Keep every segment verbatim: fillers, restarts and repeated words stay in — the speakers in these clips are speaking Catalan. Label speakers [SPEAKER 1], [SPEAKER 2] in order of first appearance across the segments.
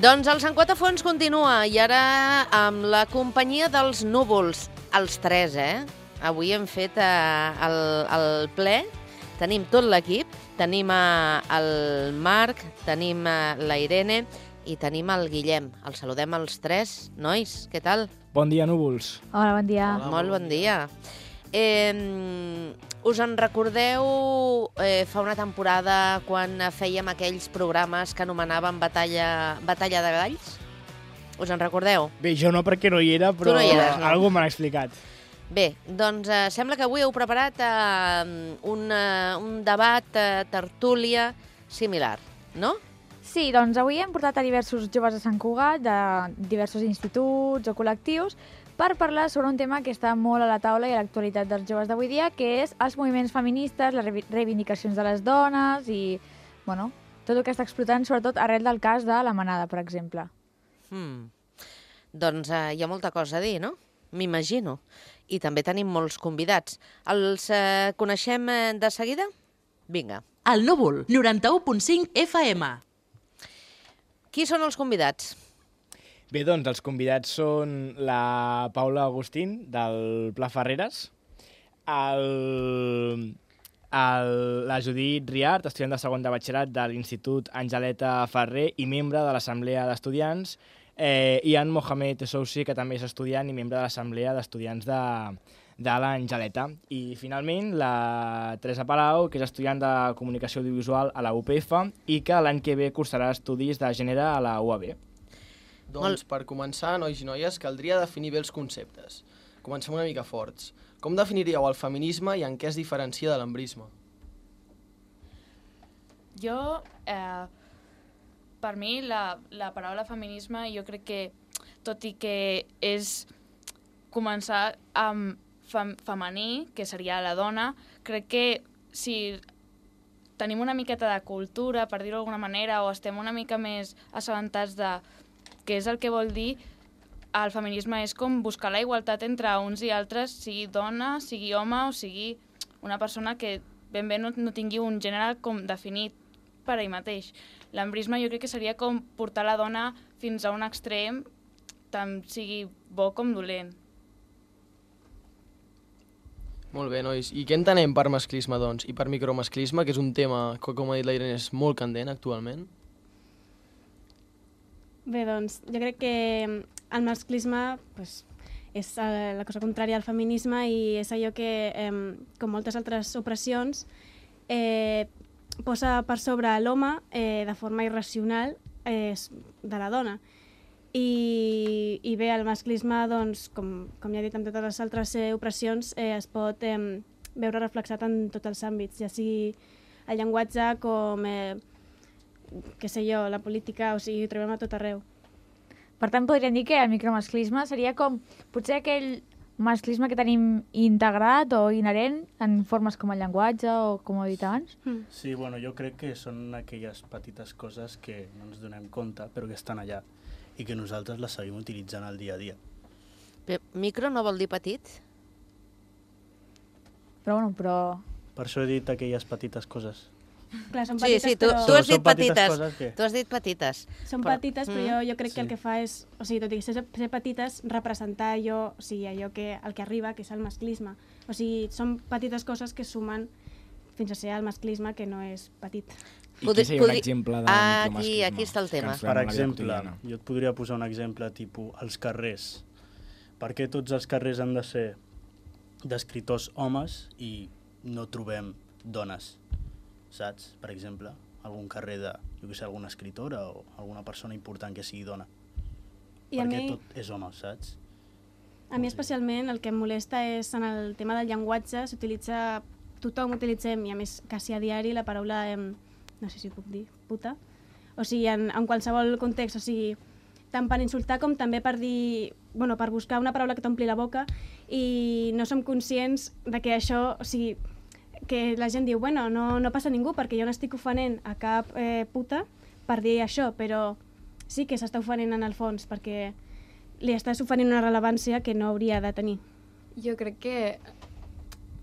[SPEAKER 1] Doncs el Sant Quatre Fonts continua i ara amb la companyia dels núvols, els tres, eh? Avui hem fet eh, el, el ple, tenim tot l'equip, tenim eh, el Marc, tenim eh, la Irene i tenim el Guillem. Els saludem els tres. Nois, què tal?
[SPEAKER 2] Bon dia, núvols.
[SPEAKER 3] Hola, bon dia.
[SPEAKER 1] Hola, Molt bon dia. Eh, us en recordeu eh, fa una temporada quan fèiem aquells programes que anomenaven Batalla, Batalla de Galls? Us en recordeu?
[SPEAKER 2] Bé, jo no perquè no hi era, però
[SPEAKER 1] no hi eres, no?
[SPEAKER 2] Algú m'ha explicat.
[SPEAKER 1] Bé, doncs eh, sembla que avui heu preparat eh, un, eh, un debat, eh, tertúlia similar, no?
[SPEAKER 3] Sí, doncs avui hem portat a diversos joves de Sant Cugat, de diversos instituts o col·lectius, per parlar sobre un tema que està molt a la taula i a l'actualitat dels joves d'avui dia, que és els moviments feministes, les reivindicacions de les dones i, bueno, tot el que està explotant, sobretot arrel del cas de la Manada, per exemple.
[SPEAKER 1] Hmm. Doncs eh, hi ha molta cosa a dir, no? M'imagino. I també tenim molts convidats. Els eh, coneixem eh, de seguida? Vinga.
[SPEAKER 4] El Núvol, noranta-u punt cinc F M.
[SPEAKER 1] Qui són els convidats?
[SPEAKER 2] Bé, doncs els convidats són la Paula Agustín, del Pla Ferreres, el, el, la Judit Riart, estudiant de segon de batxillerat de l'Institut Angeleta Ferrer i membre de l'Assemblea d'Estudiants, eh, i en Mohamed Essousi, que també és estudiant i membre de l'Assemblea d'Estudiants de, de l'Angeleta. I finalment la Teresa Palau, que és estudiant de Comunicació Audiovisual a la U P F i que l'any que ve cursarà estudis de gènere a la U A B.
[SPEAKER 5] Doncs per començar, nois i noies, caldria definir bé els conceptes. Comencem una mica forts. Com definiríeu el feminisme i en què es diferencia de l'embrisme?
[SPEAKER 6] Jo, eh, per mi, la, la paraula feminisme, jo crec que, tot i que és començar amb fem, femení, que seria la dona, crec que si tenim una miqueta de cultura, per dir-ho d'alguna manera, o estem una mica més assabentats de què és el que vol dir, el feminisme és com buscar la igualtat entre uns i altres, sigui dona, sigui home o sigui una persona que ben bé no, no tingui un gènere com definit per ell mateix. L'embrisme jo crec que seria com portar la dona fins a un extrem, tant sigui bo com dolent.
[SPEAKER 5] Molt bé, nois. I què entenem per masclisme, doncs? I per micromasclisme, que és un tema que, com ha dit la Irene, és molt candent actualment?
[SPEAKER 7] Bé, doncs, jo crec que el masclisme pues, és la cosa contrària al feminisme i és allò que, eh, com moltes altres opressions, eh, posa per sobre l'home eh, de forma irracional eh, de la dona. I, i bé, el masclisme, doncs, com, com ja he dit amb totes les altres eh, opressions, eh, es pot eh, veure reflexat en tots els àmbits, ja sigui el llenguatge com... Eh, què sé jo, la política, o sigui, ho trobem a tot arreu.
[SPEAKER 3] Per tant, podríem dir que el micromasclisme seria com potser aquell masclisme que tenim integrat o inherent en formes com el llenguatge o com he dit abans?
[SPEAKER 7] Mm.
[SPEAKER 8] Sí, bueno, jo crec que són aquelles petites coses que no ens donem compte, però que estan allà i que nosaltres les seguim utilitzant al dia a dia.
[SPEAKER 1] Però micro no vol dir petit?
[SPEAKER 3] Però bueno, però...
[SPEAKER 8] Per això he dit aquelles petites coses.
[SPEAKER 7] Clar, són
[SPEAKER 1] Sí,
[SPEAKER 7] petites,
[SPEAKER 1] sí, tu,
[SPEAKER 7] però...
[SPEAKER 1] tu has dit
[SPEAKER 8] Són petites
[SPEAKER 1] petites.
[SPEAKER 8] coses que-
[SPEAKER 1] Tu has dit petites.
[SPEAKER 7] Són
[SPEAKER 1] Però-
[SPEAKER 7] petites, però
[SPEAKER 1] Mm.
[SPEAKER 7] jo, jo crec que
[SPEAKER 8] Sí.
[SPEAKER 7] el que fa és, o sigui, tot i ser, ser petites, representar allò, o sigui, allò que, el que arriba, que és el masclisme. O sigui, són petites coses que sumen fins a ser el masclisme, que no és petit.
[SPEAKER 2] I
[SPEAKER 1] Podri-
[SPEAKER 2] qui seria un
[SPEAKER 1] podri-
[SPEAKER 2] exemple de
[SPEAKER 1] Ah,
[SPEAKER 2] micromasclisme?
[SPEAKER 1] aquí- aquí està el tema.
[SPEAKER 2] Que ens
[SPEAKER 8] Per
[SPEAKER 2] trobem a la vida
[SPEAKER 8] exemple,
[SPEAKER 2] quotidiana.
[SPEAKER 8] jo et podria posar un exemple tipus els carrers. Per què tots els carrers han de ser d'escriptors homes i no trobem dones? Saps? Per exemple, algun carrer de, jo què sé, alguna escritora o alguna persona important que sigui dona.
[SPEAKER 7] I a
[SPEAKER 8] Perquè
[SPEAKER 7] mi,
[SPEAKER 8] tot és home, saps?
[SPEAKER 7] a mi especialment el que em molesta és en el tema del llenguatge, s'utilitza, tothom utilitzem, i a més quasi a diari, la paraula, eh, no sé si ho puc dir, puta. O sigui, en, en qualsevol context, o sigui, tant per insultar com també per dir, bueno, per buscar una paraula que t'ompli la boca i no som conscients de que això, o sigui, que la gent diu, bueno, no, no passa ningú perquè jo no estic ofenent a cap eh, puta per dir això, però sí que s'està ofenent en el fons perquè li estàs oferint una rellevància que no hauria de tenir.
[SPEAKER 9] Jo crec que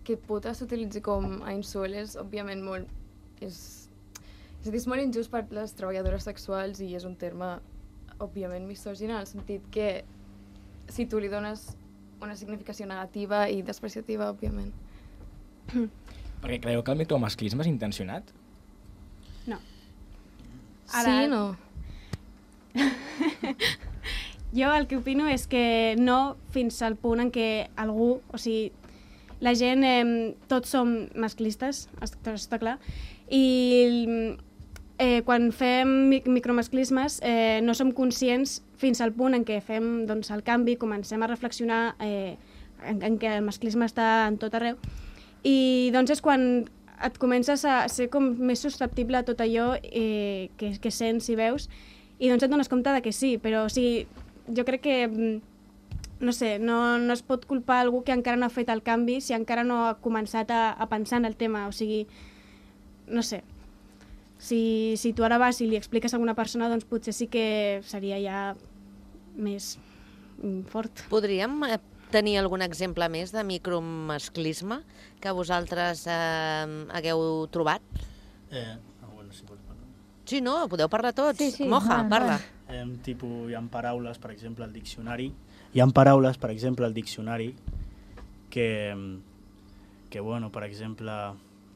[SPEAKER 9] que puta s'utilitzi com a insult és, òbviament, molt... És, és, dir, és molt injust per les treballadores sexuals i és un terme òbviament, misògina, en el sentit que si tu li dones una significació negativa i despreciativa, òbviament.
[SPEAKER 2] Perquè creieu que el micromasclisme és intencionat?
[SPEAKER 7] No.
[SPEAKER 9] Ara... Sí, no.
[SPEAKER 7] Jo el que opino és que no fins al punt en què algú, o sigui, la gent, eh, tots som masclistes, està, està clar, i eh, quan fem micromasclismes eh, no som conscients fins al punt en què fem doncs, el canvi, comencem a reflexionar eh, en, en què el masclisme està en tot arreu, i doncs és quan et comences a ser com més susceptible a tot allò eh, que, que sents i veus, i doncs et dones compte de que sí, però o sigui, jo crec que no sé, no, no es pot culpar algú que encara no ha fet el canvi si encara no ha començat a, a pensar en el tema, o sigui, no sé. Si, si tu ara vas i li expliques a alguna persona, doncs potser sí que seria ja més fort.
[SPEAKER 1] Podríem eh, tenir algun exemple més de micromasclisme que vosaltres eh, hagueu trobat?
[SPEAKER 8] Eh, ah, bueno, si pots parlar.
[SPEAKER 1] Sí, no, podeu parlar tots.
[SPEAKER 3] Sí, sí,
[SPEAKER 1] Moja,
[SPEAKER 3] va,
[SPEAKER 1] parla.
[SPEAKER 8] Eh, tipus, hi ha paraules, per exemple, al diccionari, hi ha paraules, per exemple, al diccionari que, que bueno, per exemple,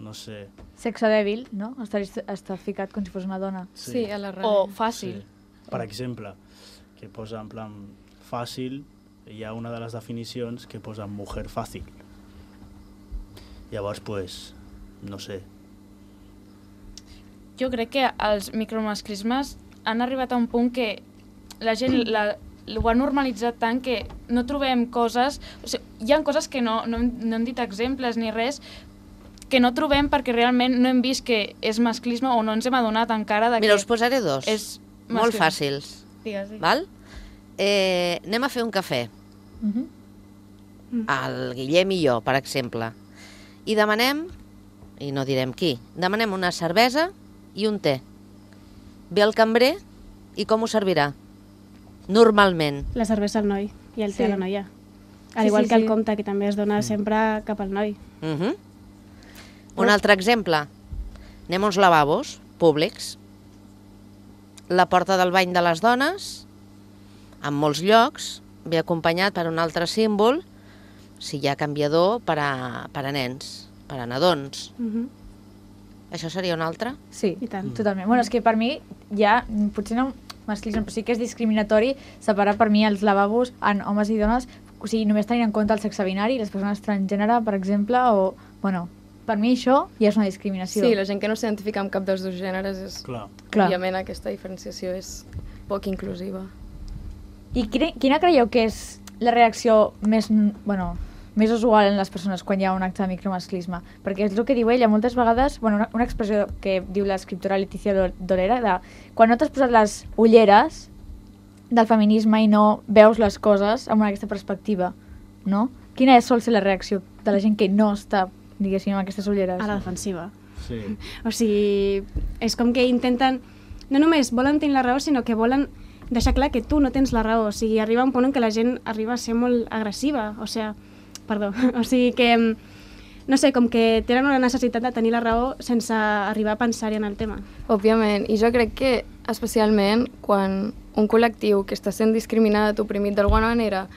[SPEAKER 8] no sé...
[SPEAKER 3] Sexe dèbil, no? Està, està ficat com si fos una dona.
[SPEAKER 9] Sí, sí a la
[SPEAKER 6] ràdio. O fàcil.
[SPEAKER 8] Sí. Per exemple, que posa en plan fàcil, hi ha una de les definicions que posa mujer fàcil. Llavors, pues, no sé.
[SPEAKER 6] Jo crec que els micromasclismes han arribat a un punt que la gent la, ho ha normalitzat tant que no trobem coses... O sigui, hi ha coses que no, no, no hem dit exemples ni res, que no trobem perquè realment no hem vist que és masclisme o no ens hem adonat encara de que...
[SPEAKER 1] Mira, us posaré dos,
[SPEAKER 6] és
[SPEAKER 1] molt fàcils.
[SPEAKER 6] Digues, digues.
[SPEAKER 1] Val? Eh, anem a fer un cafè.
[SPEAKER 3] Uh-huh.
[SPEAKER 1] El Guillem i jo, per exemple. I demanem, i no direm qui, demanem una cervesa i un te. Ve el cambrer i com ho servirà? Normalment.
[SPEAKER 7] La cervesa al noi i el
[SPEAKER 3] Sí.
[SPEAKER 7] té a la noia. Al
[SPEAKER 3] Sí,
[SPEAKER 7] igual
[SPEAKER 3] sí,
[SPEAKER 7] que el
[SPEAKER 3] sí.
[SPEAKER 7] compte, que també es dona sempre cap al noi.
[SPEAKER 1] Uh -huh. Un altre exemple. Anem a uns lavabos públics. La porta del bany de les dones, en molts llocs, ve acompanyat per un altre símbol, si hi ha canviador, per a, per a nens, per a nadons.
[SPEAKER 7] Uh -huh.
[SPEAKER 1] Això seria un altre?
[SPEAKER 3] Sí,
[SPEAKER 7] I tant.
[SPEAKER 3] totalment. Bueno, és que per mi ja, potser no masclisme, però sí que és discriminatori separar per mi els lavabos en homes i dones, o sigui, només tenint en compte el sexe binari, les persones transgènere, per exemple, o, bueno, per mi això ja és una discriminació.
[SPEAKER 9] Sí, la gent que no s'identifica amb cap dels dos gèneres és...
[SPEAKER 8] Clar.
[SPEAKER 3] Clar.
[SPEAKER 9] Òbviament aquesta diferenciació és poc inclusiva.
[SPEAKER 3] I quina, quina creieu que és la reacció més, bueno, més usual en les persones quan hi ha un acte de micromasclisme? Perquè és el que diu ella, moltes vegades, bueno, una, una expressió que diu l'escriptora Letícia Dolera, de quan no t'has posat les ulleres del feminisme i no veus les coses amb aquesta perspectiva, no? Quina és, sol ser la reacció de la gent que no està, diguéssim, amb aquestes ulleres?
[SPEAKER 7] A la defensiva.
[SPEAKER 8] Sí.
[SPEAKER 7] O sigui, és com que intenten... No només volen tenir la raó, sinó que volen deixar clar que tu no tens la raó. O sigui, arriba un punt en què la gent arriba a ser molt agressiva. O sigui, perdó. O sigui que, no sé, com que tenen una necessitat de tenir la raó sense arribar a pensar-hi en el tema.
[SPEAKER 9] Òbviament, i jo crec que especialment quan un col·lectiu que està sent discriminat, oprimit d'alguna manera,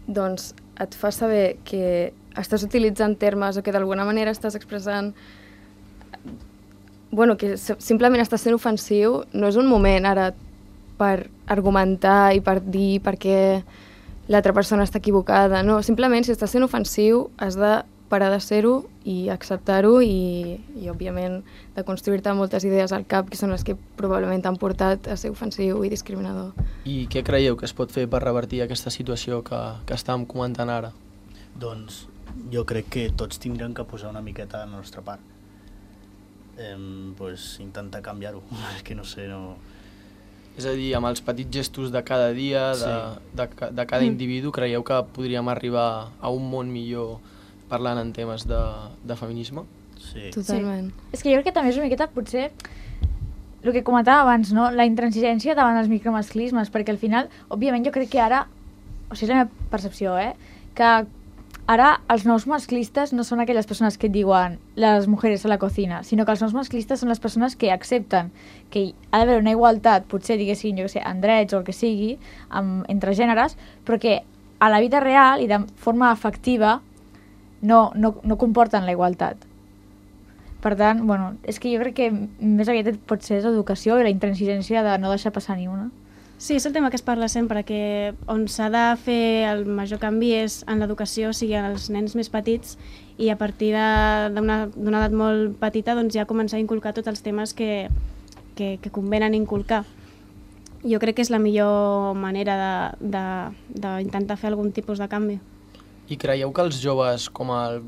[SPEAKER 9] doncs et fa saber que estàs utilitzant termes o que d'alguna manera estàs expressant bueno, que simplement estàs sent ofensiu, no és un moment ara per argumentar i per dir per què l'altra persona està equivocada, no, simplement si estàs sent ofensiu has de parar de ser-ho i acceptar-ho i, i òbviament de construir-te moltes idees al cap que són les que probablement t'han portat a ser ofensiu i discriminador.
[SPEAKER 5] I què creieu que es pot fer per revertir aquesta situació que, que estàvem comentant ara?
[SPEAKER 8] Doncs jo crec que tots tindrem que posar una miqueta de la nostra part. Eh, pues, intentar canviar-ho, és que no sé, no...
[SPEAKER 5] És a dir, amb els petits gestos de cada dia, de,
[SPEAKER 8] Sí.
[SPEAKER 5] de, de, de cada individu, creieu que podríem arribar a un món millor parlant en temes de, de feminisme?
[SPEAKER 8] Sí.
[SPEAKER 9] Totalment.
[SPEAKER 3] Sí. És que jo crec que també és una miqueta, potser, el que comentava abans, no? La intransigència davant els micromasclismes, perquè al final, òbviament, jo crec que ara, o sigui, és la meva percepció, eh? que ara els nous masclistes no són aquelles persones que et diuen les mujeres a la cocina, sinó que els nous masclistes són les persones que accepten que ha d'haver una igualtat, potser diguéssim, jo què sé, en drets o el que sigui, amb, entre gèneres, però que a la vida real i de forma efectiva no, no, no comporten la igualtat. Per tant, bueno, és que jo crec que més aviat pot ser l'educació i la intransigència de no deixar passar ni una.
[SPEAKER 7] Sí, és el tema que es parla sempre, que on s'ha de fer el major canvi és en l'educació, o sigui, als nens més petits, i a partir d'una edat molt petita doncs, ja començar a inculcar tots els temes que, que, que convenen inculcar. Jo crec que és la millor manera d'intentar fer algun tipus de canvi.
[SPEAKER 5] I creieu que els joves, com el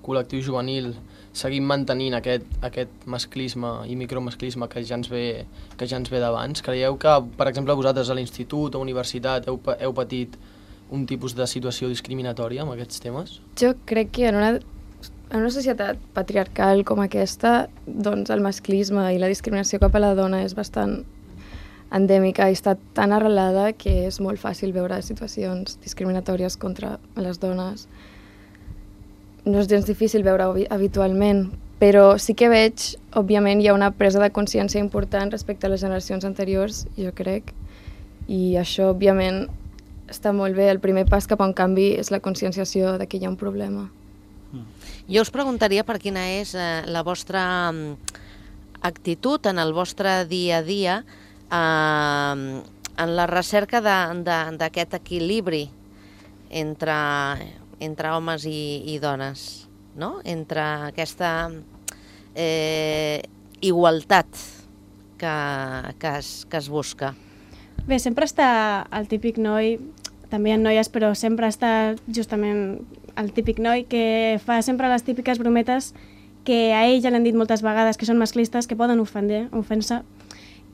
[SPEAKER 5] col·lectiu juvenil, seguim mantenint aquest, aquest masclisme i micromasclisme que ja ens ve, que ja ens ve d'abans? Creieu que, per exemple, vosaltres a l'institut o universitat heu, heu patit un tipus de situació discriminatòria amb aquests temes?
[SPEAKER 9] Jo crec que en una, en una societat patriarcal com aquesta, doncs el masclisme i la discriminació cap a la dona és bastant endèmica i està tan arrelada que és molt fàcil veure situacions discriminatòries contra les dones. No és gens difícil veure-ho habitualment, però sí que veig, òbviament, hi ha una presa de consciència important respecte a les generacions anteriors, jo crec, i això, òbviament, està molt bé. El primer pas cap a un canvi és la conscienciació de que hi ha un problema.
[SPEAKER 1] Jo us preguntaria per quina és eh, la vostra actitud en el vostre dia a dia eh, en la recerca d'aquest equilibri entre... entre homes i, i dones, no? Entre aquesta eh, igualtat que, que, es, que es busca.
[SPEAKER 7] Bé, sempre està el típic noi, també hi ha noies, però sempre està justament el típic noi que fa sempre les típiques brometes que a ell ja l'han dit moltes vegades que són masclistes, que poden ofendre, ofensa,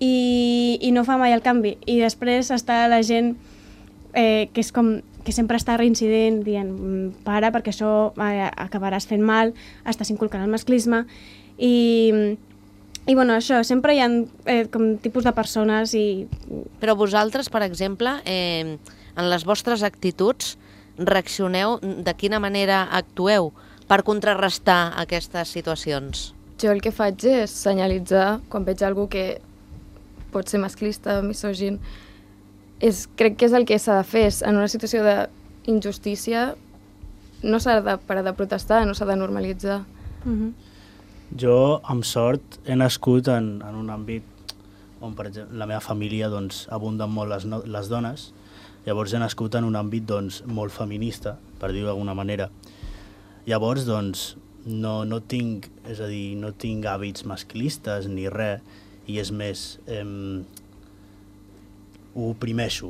[SPEAKER 7] i, i no fa mai el canvi. I després està la gent eh, que és com... que sempre està reincidint, dient para perquè això eh, acabaràs fent mal, estàs inculcant el masclisme, i, i bueno, això, sempre hi ha eh, com tipus de persones i...
[SPEAKER 1] Però vosaltres, per exemple, eh, en les vostres actituds, reaccioneu, de quina manera actueu per contrarrestar aquestes situacions?
[SPEAKER 9] Jo el que faig és senyalitzar quan veig algú que pot ser masclista, misògin. És, crec que és el que s'ha de fer. En una situació d'injustícia no s'ha de parar de protestar, no s'ha de normalitzar.
[SPEAKER 7] Mm-hmm.
[SPEAKER 8] Jo, amb sort, he nascut en, en un àmbit on, per exemple, la meva família doncs, abunden molt les, no, les dones. Llavors he nascut en un àmbit doncs, molt feminista, per dir-ho d'alguna manera. Llavors, doncs, no, no tinc, és a dir, no tinc hàbits masclistes ni res, i és més... Eh, ho oprimeixo,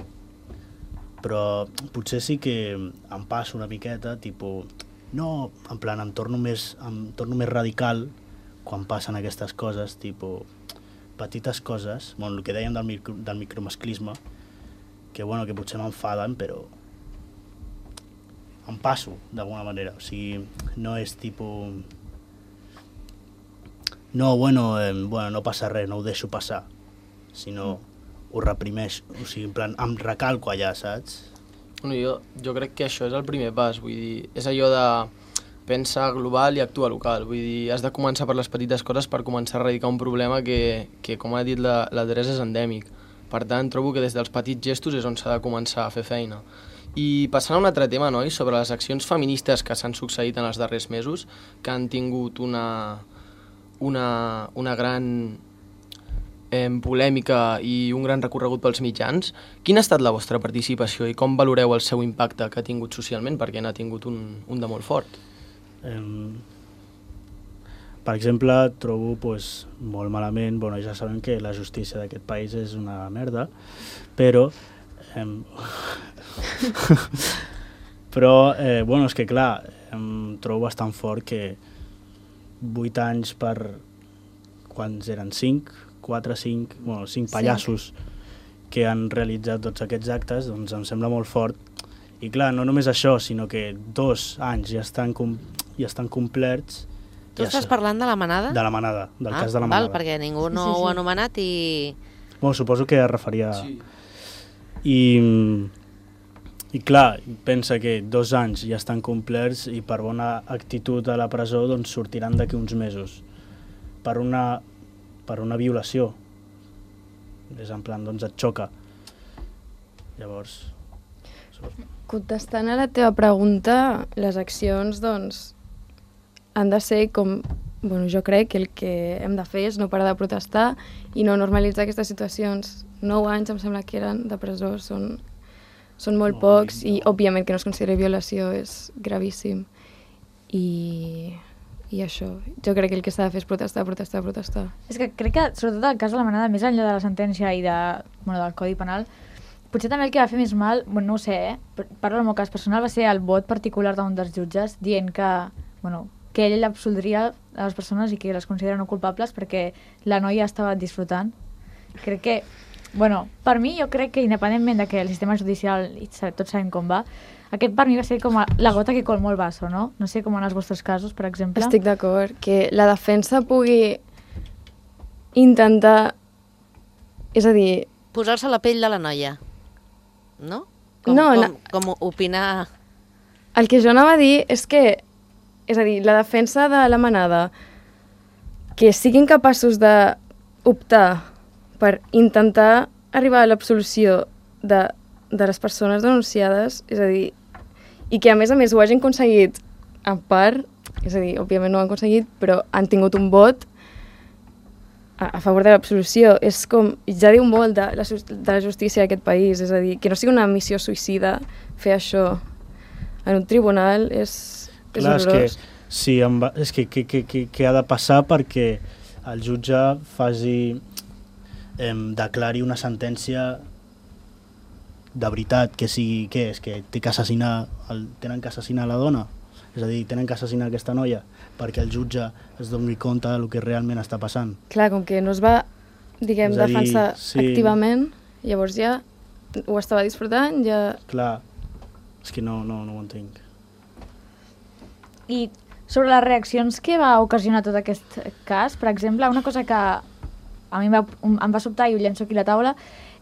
[SPEAKER 8] però potser sí que em passo una miqueta, tipus, no, en plan, em torno més, em torno més radical quan passen aquestes coses, tipus, petites coses, bueno, el que dèiem del, micro, del micromasclisme, que, bueno, que potser m'enfaden, però em passo, d'alguna manera, o sigui, no és tipus, no, bueno, eh, bueno, no passa res, no ho deixo passar, sinó... Mm. ho reprimeix, o sigui, en plan, em recalco allà, saps?
[SPEAKER 5] Bueno, jo, jo crec que això és el primer pas, vull dir, és allò de pensar global i actuar local, vull dir, has de començar per les petites coses per començar a erradicar un problema que, que com ha dit la, la Teresa, és endèmic. Per tant, trobo que des dels petits gestos és on s'ha de començar a fer feina. I passant a un altre tema, nois, sobre les accions feministes que s'han succeït en els darrers mesos, que han tingut una, una, una gran... Eh, polèmica i un gran recorregut pels mitjans. Quina ha estat la vostra participació i com valoreu el seu impacte que ha tingut socialment, perquè n'ha tingut un, un de molt fort?
[SPEAKER 8] Eh, per exemple, trobo pues, molt malament, bueno, ja sabem que la justícia d'aquest país és una merda, però eh, però, eh, bueno, és que clar, em trobo bastant fort que vuit anys per... quants eren? cinc? quatre, cinc, bueno, cinc pallassos que han realitzat tots aquests actes, doncs em sembla molt fort. I clar, no només això, sinó que dos anys ja estan, com, ja estan complerts.
[SPEAKER 1] Tu
[SPEAKER 8] ja
[SPEAKER 1] estàs
[SPEAKER 8] sé.
[SPEAKER 1] parlant de la manada?
[SPEAKER 8] De la manada, del
[SPEAKER 1] ah,
[SPEAKER 8] cas de la
[SPEAKER 1] val,
[SPEAKER 8] manada.
[SPEAKER 1] Perquè ningú no
[SPEAKER 7] sí, sí, sí.
[SPEAKER 1] ho ha anomenat i...
[SPEAKER 8] Bueno, suposo que es referia...
[SPEAKER 5] Sí.
[SPEAKER 8] I, I clar, pensa que dos anys ja estan complerts i per bona actitud a la presó doncs sortiran d'aquí uns mesos. Per una, per una violació. És en plan, doncs et xoca. Llavors...
[SPEAKER 9] Contestant a la teva pregunta, les accions, doncs, han de ser com... Bueno, jo crec que el que hem de fer és no parar de protestar i no normalitzar aquestes situacions. Nou anys, em sembla que eren, de presó, són, són molt pocs i, òbviament, que no es consideri violació és gravíssim. I, i això, jo crec que el que s'ha de fer és protestar, protestar, protestar.
[SPEAKER 3] És que crec que, sobretot el cas de la Manada, més enllà de la sentència i de, bueno, del Codi Penal, potser també el que va fer més mal, bueno, no ho sé, eh? Parlo del meu cas personal, va ser el vot particular d'un dels jutges dient que, bueno, que ell absoldria a les persones i que les considera no culpables perquè la noia estava disfrutant. Crec que, bueno, per mi jo crec que independentment de que el sistema judicial, i tots sabem com va, aquest per mi va ser com la gota que colmó el vaso, no? No sé com en els vostres casos, per exemple.
[SPEAKER 9] Estic d'acord, que la defensa pugui intentar, és a dir...
[SPEAKER 1] Posar-se a la pell de la noia, no? Com,
[SPEAKER 9] no,
[SPEAKER 1] com,
[SPEAKER 9] no.
[SPEAKER 1] com opinar...
[SPEAKER 9] El que jo anava a dir és que, és a dir, la defensa de la Manada, que siguin capaços d'optar per intentar arribar a l'absolució de, de les persones denunciades, és a dir, i que a més a més ho hagin aconseguit en part, és a dir, òbviament no ho han aconseguit, però han tingut un vot a, a favor de l'absolució. És com, ja diu molt de la, de la justícia d'aquest país, és a dir, que no sigui una missió suïcida fer això en un tribunal és, és
[SPEAKER 8] Clar,
[SPEAKER 9] horrorós.
[SPEAKER 8] És que, sí, va, és que, que, que, que, que ha de passar perquè el jutge faci, eh, declari una sentència de veritat, que sigui, què és, que té que assassinar, el, tenen que assassinar la dona, és a dir, tenen que assassinar aquesta noia perquè el jutge es doni compte del que realment està passant.
[SPEAKER 9] Clar, com que no es va, diguem,
[SPEAKER 8] És a dir,
[SPEAKER 9] defensar
[SPEAKER 8] sí.
[SPEAKER 9] activament, llavors ja ho estava disfrutant, ja...
[SPEAKER 8] Clar, és que no, no, no ho entenc.
[SPEAKER 3] I sobre les reaccions que va ocasionar tot aquest cas, per exemple, una cosa que a mi em va, em va sobtar i ho llenço aquí a la taula,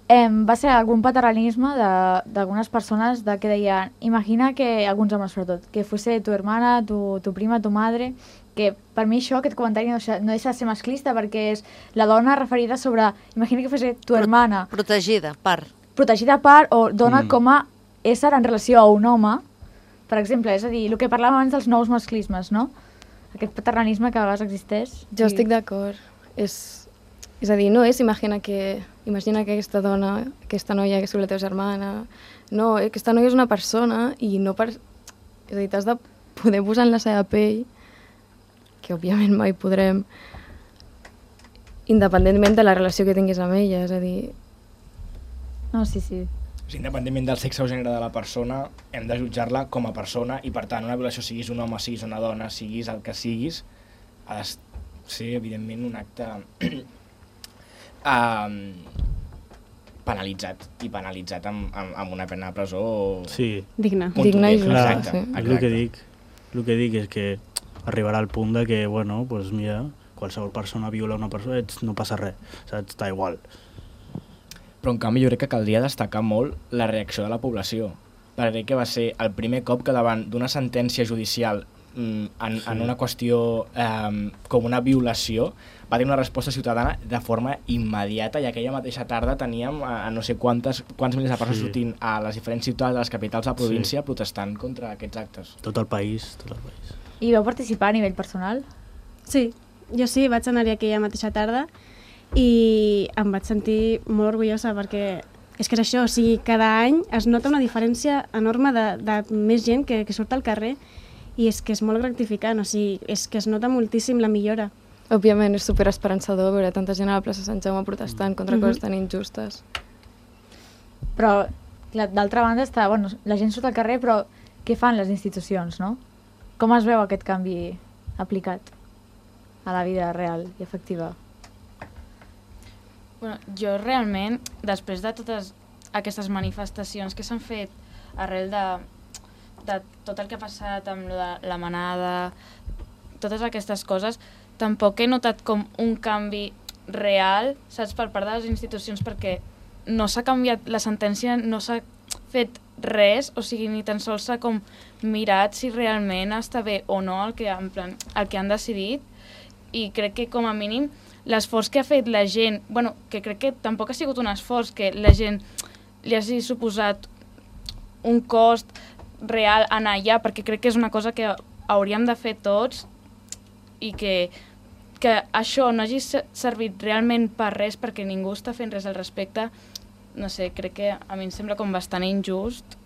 [SPEAKER 3] eh, va ser algun paternalisme d'algunes persones de que deien, imagina que, alguns homes sobretot, que fuese tu hermana, tu, tu prima, tu madre, que per mi això, aquest comentari no deixa, no deixa de ser masclista perquè és la dona referida sobre, imagina que fuese tu hermana.
[SPEAKER 1] Protegida, part.
[SPEAKER 3] Protegida part o dona
[SPEAKER 8] Mm.
[SPEAKER 3] com a ésser en relació a un home, per exemple, és a dir, el que parlàvem abans dels nous masclismes, no? Aquest paternalisme que a vegades existeix.
[SPEAKER 9] Jo estic d'acord. És, és a dir, no és imagina que, imagina que aquesta dona, aquesta noia que és la teva germana... No, aquesta noia és una persona i no per... És a dir, t'has de poder posar en la seva pell, que òbviament mai podrem, independentment de la relació que tinguis amb ella, és a dir...
[SPEAKER 3] No, sí, sí.
[SPEAKER 2] O sigui, independentment del sexe o gènere de la persona, hem de jutjar-la com a persona i, per tant, una violació, siguis un home, siguis una dona, siguis el que siguis, ha de ser, evidentment, un acte um, penalitzat i penalitzat amb, amb, amb una pena de presó
[SPEAKER 8] Sí.
[SPEAKER 7] Digna.
[SPEAKER 9] Digna i
[SPEAKER 8] Clar,
[SPEAKER 9] justa, sí.
[SPEAKER 8] és el que dic. El que dic és que arribarà al punt de que, bueno, pues mira, qualsevol persona viola una persona, ets, no passa res, saps? Està igual.
[SPEAKER 2] Però en canvi jo crec que caldria destacar molt la reacció de la població, perquè crec que va ser el primer cop que davant d'una sentència judicial mm, en,
[SPEAKER 8] Sí.
[SPEAKER 2] en una qüestió eh, com una violació va tenir una resposta ciutadana de forma immediata i aquella mateixa tarda teníem a, a no sé quantes, quants milers de persones
[SPEAKER 8] Sí.
[SPEAKER 2] sortint a les diferents ciutats de les capitals de la província
[SPEAKER 8] Sí.
[SPEAKER 2] protestant contra aquests actes.
[SPEAKER 8] Tot el país, tot el país.
[SPEAKER 3] I vau participar a nivell personal?
[SPEAKER 7] Sí, jo sí, vaig anar-hi aquella mateixa tarda i em vaig sentir molt orgullosa perquè és que és això, o sigui, cada any es nota una diferència enorme de, de més gent que, que surt al carrer i és que és molt gratificant, o sigui, és que es nota moltíssim la millora.
[SPEAKER 9] Òbviament és superesperançador veure tanta gent a la plaça Sant Jaume protestant contra
[SPEAKER 7] Mhm.
[SPEAKER 9] coses tan injustes.
[SPEAKER 3] Però, clar, d'altra banda, està, bueno, la gent surt al carrer, però què fan les institucions, no? Com es veu aquest canvi aplicat a la vida real i efectiva?
[SPEAKER 6] Bueno, jo realment, després de totes aquestes manifestacions que s'han fet arrel de, de tot el que ha passat amb lo de la manada, totes aquestes coses, tampoc he notat com un canvi real, saps, per part de les institucions, perquè no s'ha canviat la sentència, no s'ha fet res, o sigui, ni tan sols s'ha com mirat si realment està bé o no el que, en plan, el que han decidit, i crec que com a mínim l'esforç que ha fet la gent, bueno, que crec que tampoc ha sigut un esforç, que la gent li hagi suposat un cost real anar allà, perquè crec que és una cosa que hauríem de fer tots, i que, que això no hagi servit realment per res, perquè ningú està fent res al respecte, no sé, crec que a mi em sembla com bastant injust,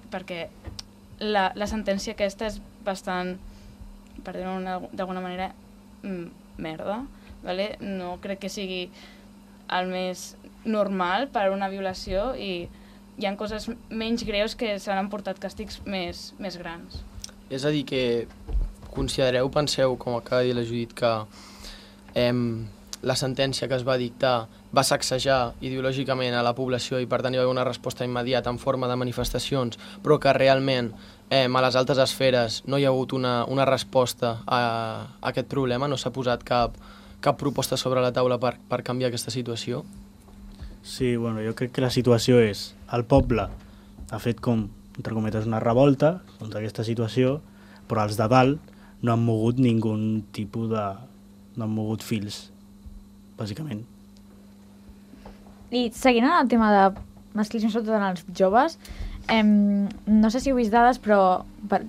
[SPEAKER 6] perquè la, la sentència aquesta és bastant, per dir-ho d'alguna manera, merda, vale? No crec que sigui el més normal per una violació, i hi ha coses menys greus que s'han emportat càstigs més, més grans.
[SPEAKER 5] És a dir, que considereu, penseu, com acaba de dir la Judit, que eh, la sentència que es va dictar va sacsejar ideològicament a la població i per tant hi va haver una resposta immediata en forma de manifestacions, però que realment eh, a les altes esferes no hi ha hagut una, una resposta a, a aquest problema, no s'ha posat cap, cap proposta sobre la taula per, per canviar aquesta situació?
[SPEAKER 8] Sí, bueno, jo crec que la situació és, el poble ha fet com, entre cometes, una revolta contra aquesta situació, però els de dalt no han mogut ningú tipus de... no han mogut fils, bàsicament.
[SPEAKER 3] I seguint en el tema de masclisme, sobretot en els joves, eh, no sé si heu vist dades, però per,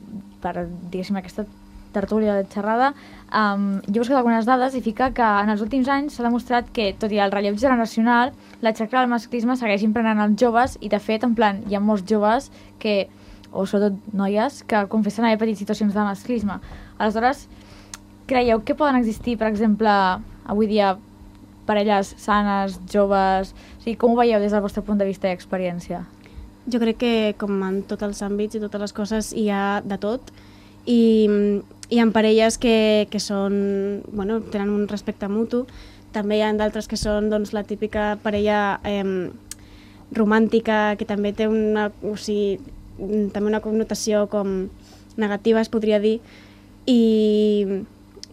[SPEAKER 3] per diguéssim, aquesta tertúlia de xerrada, um, jo he buscat algunes dades i fica que en els últims anys s'ha demostrat que, tot i el relleu generacional, la xacra del masclisme segueix imprenant els joves, i de fet, en plan, hi ha molts joves que, o sobretot noies, que confessen haver patit situacions de masclisme. Aleshores, creieu que poden existir, per exemple, avui dia, parelles sanes, joves... O sigui, com ho veieu des del vostre punt de vista i experiència?
[SPEAKER 7] Jo crec que, com en tots els àmbits i totes les coses, hi ha de tot, i hi ha parelles que, que són, bueno, tenen un respecte mutu, també hi ha d'altres que són, doncs, la típica parella eh, romàntica, que també té una, o sigui, també una connotació com negativa, es podria dir, i,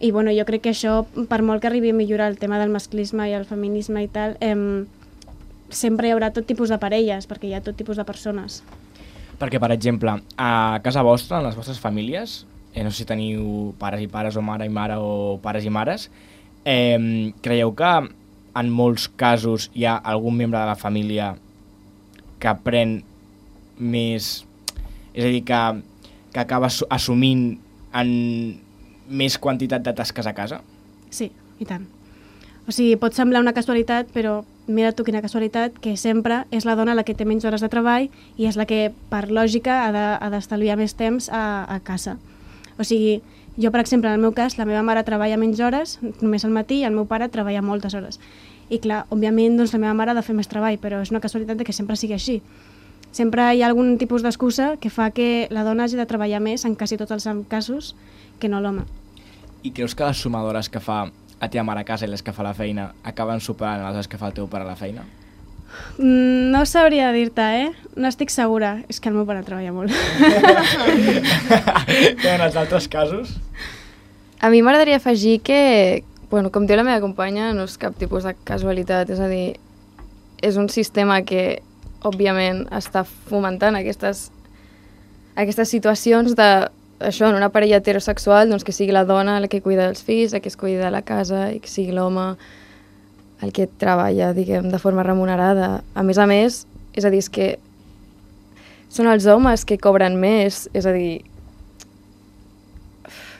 [SPEAKER 7] i bueno, jo crec que això, per molt que arribi a millorar el tema del masclisme i el feminisme i tal, eh, sempre hi haurà tot tipus de parelles, perquè hi ha tot tipus de persones.
[SPEAKER 2] Perquè, per exemple, a casa vostra, en les vostres famílies, eh, no sé si teniu pares i pares o mare i mare o pares i mares, eh, creieu que en molts casos hi ha algun membre de la família que pren més... És a dir, que, que acaba assumint en més quantitat de tasques a casa?
[SPEAKER 7] Sí, i tant. O sigui, pot semblar una casualitat, però mira tu quina casualitat, que sempre és la dona la que té menys hores de treball i és la que, per lògica, ha d'estalviar de, més temps a, a casa. O sigui, jo, per exemple, en el meu cas, la meva mare treballa menys hores, només al matí, i el meu pare treballa moltes hores. I clar, òbviament, doncs, la meva mare ha de fer més treball, però és una casualitat que sempre sigui així. Sempre hi ha algun tipus d'excusa que fa que la dona hagi de treballar més, en quasi tots els casos, que no l'home.
[SPEAKER 2] I creus que les sumadores que fa a teva mare a casa i les que fa a la feina acaben superant les hores que fa el teu pare a la feina?
[SPEAKER 7] Mm, no sabria dir-te, eh? No estic segura. És que el meu pare treballa molt.
[SPEAKER 2] I en els altres casos?
[SPEAKER 9] A mi m'agradaria afegir que, bueno, com diu la meva companya, no és cap tipus de casualitat. És a dir, és un sistema que, òbviament, està fomentant aquestes, aquestes situacions de això, en una parella heterosexual, doncs que sigui la dona la que cuida dels fills, la que es cuida de la casa, i que sigui l'home el que treballa, diguem, de forma remunerada. A més a més, és a dir, és que són els homes que cobren més, és a dir,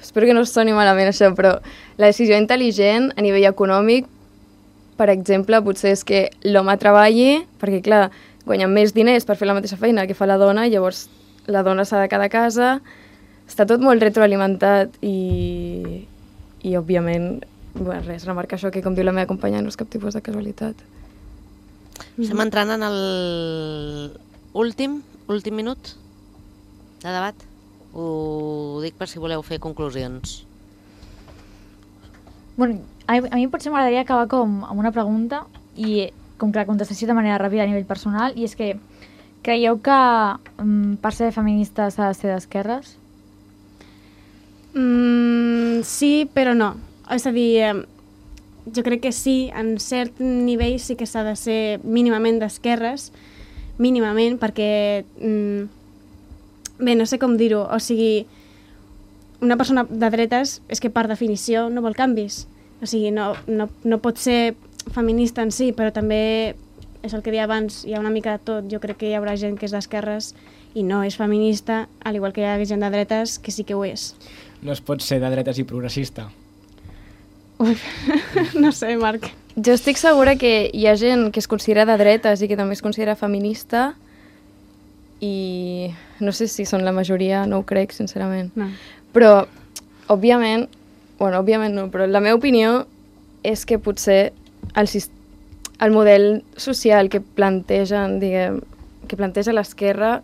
[SPEAKER 9] espero que no soni malament això, però la decisió intel·ligent a nivell econòmic, per exemple, potser és que l'home treballi, perquè, clar, guanyen més diners per fer la mateixa feina que fa la dona, i llavors la dona s'ha de quedar a casa. Està tot molt retroalimentat i, i òbviament, bueno, res, remarcar això, que com diu la meva companya no és cap tipus de casualitat.
[SPEAKER 1] Estem entrant en el últim, últim minut de debat. Ho dic per si voleu fer conclusions.
[SPEAKER 3] Bueno, a mi, a mi potser m'agradaria acabar com amb una pregunta, i com que la contestació de manera ràpida a nivell personal, i és que creieu que um, per ser feminista s'ha de ser d'esquerres?
[SPEAKER 7] Mm, sí, però no. És a dir, eh, jo crec que sí, en cert nivell sí que s'ha de ser mínimament d'esquerres, mínimament, perquè mm, bé, no sé com dir-ho, o sigui, una persona de dretes és que per definició no vol canvis. O sigui, no, no, no pot ser feminista en si, però també és el que deia abans, hi ha una mica de tot. Jo crec que hi haurà gent que és d'esquerres i no és feminista, al igual que hi ha gent de dretes que sí que ho és.
[SPEAKER 2] No es pot ser de dretes i progressista.
[SPEAKER 7] Ui, no sé, Marc.
[SPEAKER 9] Jo estic segura que hi ha gent que es considera de dretes i que també es considera feminista i no sé si són la majoria, no ho crec, sincerament.
[SPEAKER 7] No.
[SPEAKER 9] Però, òbviament, bueno, òbviament no, però la meva opinió és que potser el, el model social que plantegen, diguem, que planteja l'esquerra,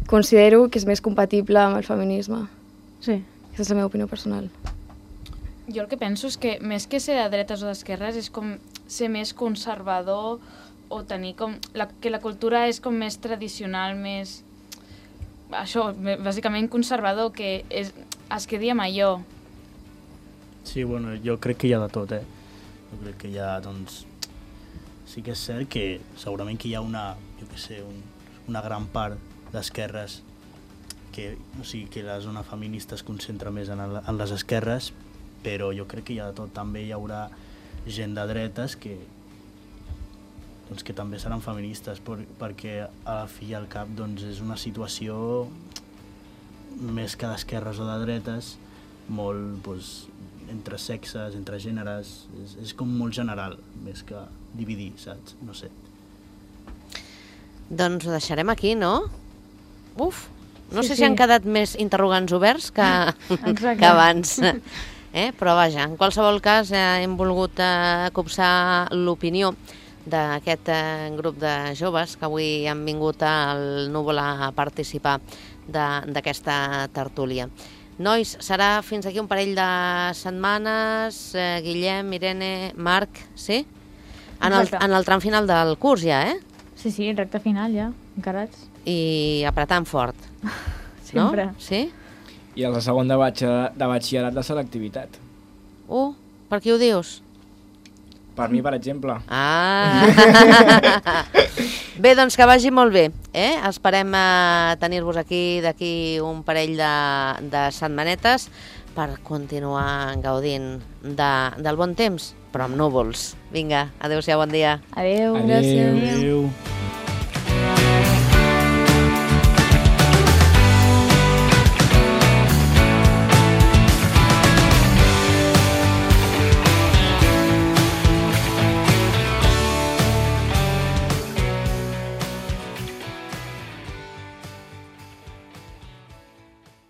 [SPEAKER 9] considero que és més compatible amb el feminisme.
[SPEAKER 7] Sí.
[SPEAKER 9] Aquesta és la meva opinió personal.
[SPEAKER 6] Jo el que penso és que més que ser de dretes o d'esquerres és com ser més conservador o tenir com... La, que la cultura és com més tradicional, més... Això, bàsicament conservador, que és, es quedi amb allò.
[SPEAKER 8] Sí, bueno, jo crec que hi ha de tot, eh? Jo crec que hi ha, doncs... Sí que és cert que segurament que hi ha una, jo què sé, un, una gran part d'esquerres que, o sigui, que la zona feminista es concentra més en, el, en les esquerres, però jo crec que hi ha de tot. També hi haurà gent de dretes que, doncs, que també seran feministes, per, perquè a la fi i al cap doncs, és una situació més que d'esquerres o de dretes, molt doncs, entre sexes, entre gèneres, és, és com molt general, més que dividir, saps? No sé.
[SPEAKER 1] Doncs ho deixarem aquí, no? Uf, no
[SPEAKER 3] Sí,
[SPEAKER 1] sé
[SPEAKER 3] sí.
[SPEAKER 1] si han quedat més interrogants oberts que, que abans. Eh? Però vaja, en qualsevol cas eh, hem volgut eh, copsar l'opinió d'aquest eh, grup de joves que avui han vingut al Núvol a participar d'aquesta tertúlia. Nois, serà fins aquí un parell de setmanes, eh, Guillem, Irene, Marc, sí? En el,
[SPEAKER 3] Exacte.
[SPEAKER 1] en el tram final del curs ja, eh?
[SPEAKER 3] Sí, sí, recte final ja, encarats.
[SPEAKER 1] I apretant fort,
[SPEAKER 3] Sempre.
[SPEAKER 1] no? Sí?
[SPEAKER 2] I els de segon de, batxe- de batxillerat de selectivitat.
[SPEAKER 1] Uh, per qui ho dius?
[SPEAKER 2] Per mi, per exemple.
[SPEAKER 1] Ah! Bé, doncs que vagi molt bé. Eh? Esperem eh, tenir-vos aquí d'aquí un parell de, de setmanetes per continuar gaudint de, del bon temps, però amb núvols. Vinga, adéu-siau, bon dia.
[SPEAKER 3] Adéu.
[SPEAKER 2] Adéu.
[SPEAKER 8] Adéu.